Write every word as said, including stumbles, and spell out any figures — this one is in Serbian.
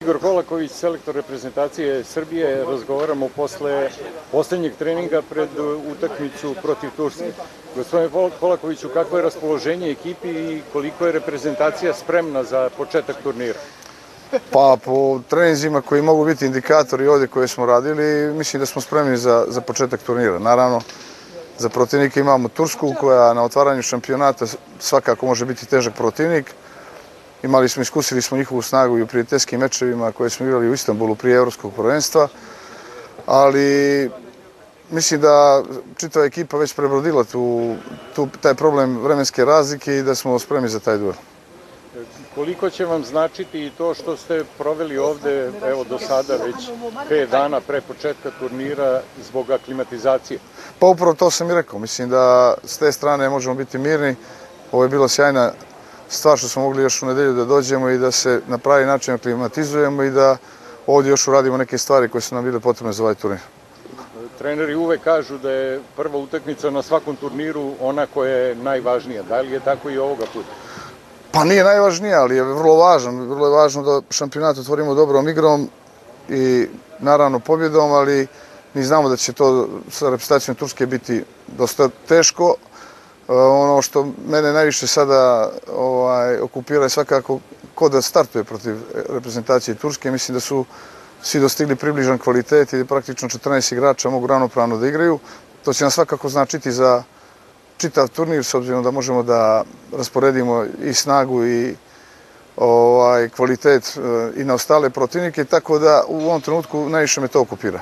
Igor Kolaković, selektor reprezentacije Srbije, razgovaramo posle poslednjeg treninga pred utakmicu protiv Turske. Gospodine Kolakoviću, kakvo je raspoloženje ekipi i koliko je reprezentacija spremna za početak turnira? Pa po treninzima koji mogu biti indikatori ovdje koje smo radili, mislim da smo spremni za, za početak turnira. Naravno, za protivnika imamo Tursku koja na otvaranju šampionata svakako može biti težak protivnik. Imali smo, iskusili smo njihovu snagu i u prijateljskim mečevima koje smo igrali u Istanbulu prije evropskog prvenstva, ali mislim da čitava ekipa već prebrodila tu, tu, taj problem vremenske razlike i da smo spremni za taj duel. Koliko će vam značiti i to što ste proveli ovde, evo do sada već pet dana pre početka turnira zbog aklimatizacije? Pa upravo to sam i rekao. Mislim da s te strane možemo biti mirni. Ovo je bila sjajna stvar što smo mogli još u nedelju da dođemo i da se na pravi način aklimatizujemo i da ovdje još uradimo neke stvari koje su nam bile potrebne za ovaj turnir. Treneri uvek kažu da je prva utakmica na svakom turniru ona koja je najvažnija. Da li je tako i ovoga puta? Pa nije najvažnija, ali je vrlo važno. Vrlo je važno da šampionat otvorimo dobrom igrom i naravno pobjedom, ali mi znamo da će to sa reprezentacijom Turske biti dosta teško. Ono što mene najviše sada ovaj, okupira je svakako ko da startuje protiv reprezentacije Turske. Mislim da su svi dostigli približan kvalitet i praktično četrnaest igrača mogu ravnopravno da igraju. To će nam svakako značiti za čitav turnir, s obzirom da možemo da rasporedimo i snagu i ovaj, kvalitet i na ostale protivnike, tako da u ovom trenutku najviše me to okupira.